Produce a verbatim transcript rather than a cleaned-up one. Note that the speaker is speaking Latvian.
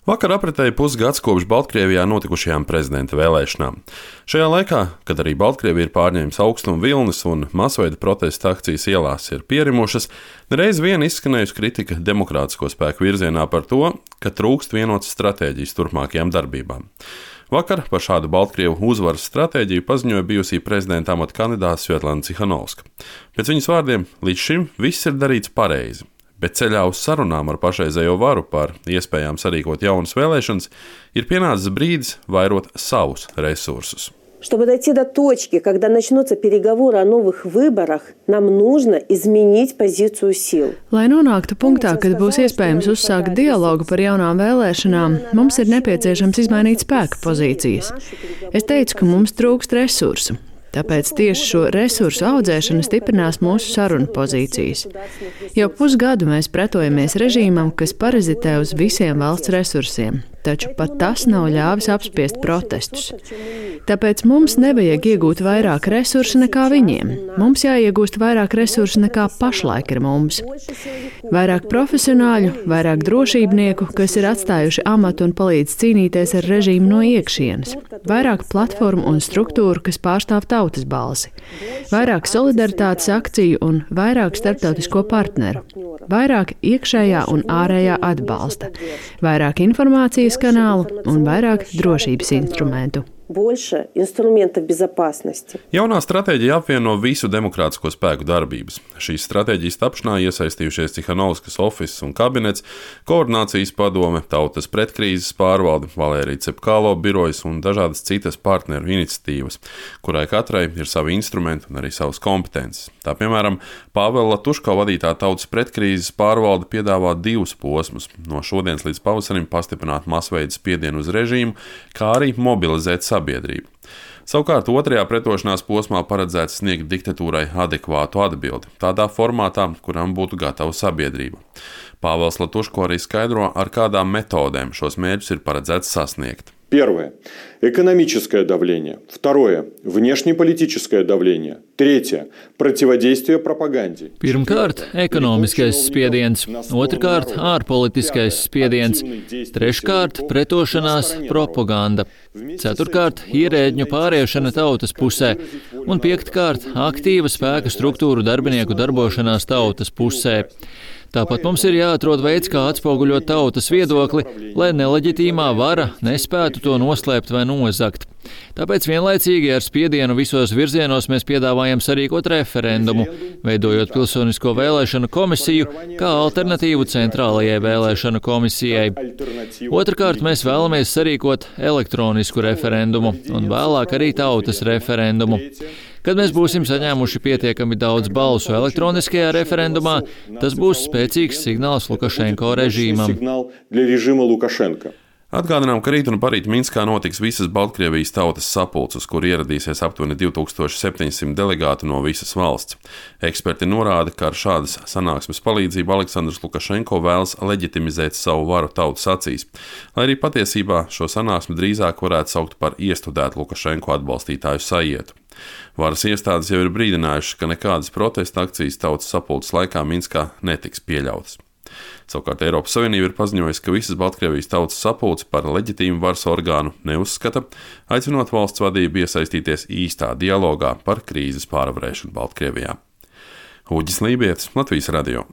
Vakar apritēja pusgads kopš Baltkrievijā notikušajām prezidenta vēlēšanām. Šajā laikā, kad arī Baltkrievija ir pārņēmusi augstuma vilnis un masveida protesta akcijas ielās ir pierimušas, nereiz vien izskanējusi kritika demokrātisko spēku virzienā par to, ka trūkst vienotas stratēģijas turpmākajām darbībām. Vakar par šādu Baltkrievu uzvaras stratēģiju paziņoja bijusī prezidenta amata kandidāte Svetlana Cihanovska. Pēc viņas vārdiem, līdz šim viss ir darīts pareizi. Bet ceļā uz sarunām ar pašreizējo varu par iespējām sarīkot jaunas vēlēšanas ir pienācis brīdis vairot savus resursus. Чтобы дойти до точки, когда начнутся переговоры о новых выборах, нам нужно изменить позицию сил. Lai nonāktu punktā, kad būs iespējams uzsākt dialogu par jaunām vēlēšanām, mums ir nepieciešams izmainīt spēka pozīcijas. Es teicu, ka mums trūkst resursu. Tāpēc tieši šo resursu audzēšana stiprinās mūsu sarunu pozīcijas. Jau pusgadu mēs pretojamies režīmam, kas parazitē uz visiem valsts resursiem, taču pat tas nav ļāvis apspiest protestus. Tāpēc mums nevajag iegūt vairāk resursu nekā viņiem. Mums jāiegūst vairāk resursu nekā pašlaik ir mums. Vairāk profesionāļu, vairāk drošībnieku, kas ir atstājuši amatu un palīdz cīnīties ar režīmu no iekšienes. Vairāk platformu un struktūru, kas pārstāv tautas balsi. Vairāk solidaritātes akciju un vairāk starptautisko partneru. Vairāk iekšējā un ārējā atbalsta. Vairāk informācijas kanālu un vairāk drošības instrumentu. Больше инструментов безопасности. Jaunā stratēģija apvieno visu demokrātisko spēku darbības. Šīs stratēģijas tapšanā iesaistījušies Cihanovskas office un kabinets, koordinācijas padome, tautas pretkrīzes pārvalde, Valērija Cepkalo birojas un dažādas citas partneru iniciatīvas, kurai katrai ir savi instrumenti un arī savas kompetences. Tā piemēram, Pāvela Latuško vadītā tautas pretkrīzes pārvalde piedāvā divus posmus – no šodienas līdz pavasarim pastiprināt masveida spiedienu uz režīmu, kā arī mobilizēt sabiedrību. Savukārt otrajā pretošanās posmā paredzēts sniegt diktatūrai adekvātu atbildi, tādā formātā, kuram būtu gatava sabiedrība. Pāvels Latuško arī skaidro, ar kādām metodēm šos mērķus ir paredzēts sasniegt. Первое – экономическое давление. Второе – внешнеполитическое давление. Tretье – противодействие пропаганде. Pirmkārt, ekonomiskais spiediens. Otrkārt, ārpolitiskais spiediens. Treškārt, pretošanās propaganda. Ceturkārt, ierēdņu pāriešana tautas pusē. Un piektkārt, aktīva spēka struktūru darbinieku darbošanās tautas pusē. Tāpat mums ir jāatrod veids, kā atspoguļot tautas viedokli, lai neleģitīmā vara nespētu to noslēpt vai nozagt. Tāpēc vienlaicīgi ar spiedienu visos virzienos mēs piedāvājam sarīkot referendumu, veidojot pilsonisko vēlēšanu komisiju kā alternatīvu centrālajai vēlēšanu komisijai. Otrkārt, mēs vēlamies sarīkot elektronisku referendumu un vēlāk arī tautas referendumu. Kad mēs būsim saņēmuši pietiekami daudz balsu elektroniskajā referendumā, tas būs spēcīgs signāls Lukašenko režīmam. Atgādinām, ka rīt un parīt Minskā notiks visas Baltkrievijas tautas sapulces, kur ieradīsies aptuveni divi tūkstoši septiņsimt delegātu no visas valsts. Eksperti norāda, ka ar šādas sanāksmes palīdzību Aleksandrs Lukašenko vēlas leģitimizēt savu varu tautas acīs, lai arī patiesībā šo sanāksmi drīzāk varētu saukt par iestudētu Lukašenko atbalstītāju sajietu. Varas iestādes jau ir brīdinājušas, ka nekādas protesta akcijas tautas sapulces laikā Minskā netiks pieļautas. Savukārt Eiropas Savienība ir paziņojusi, ka visas Baltkrievijas tautas sapulci par leģitīmu varas orgānu neuzskata, aicinot valsts vadību iesaistīties īstā dialogā par krīzes pārvarēšanu Baltkrievijā. Uģis Lībietis, Latvijas radio.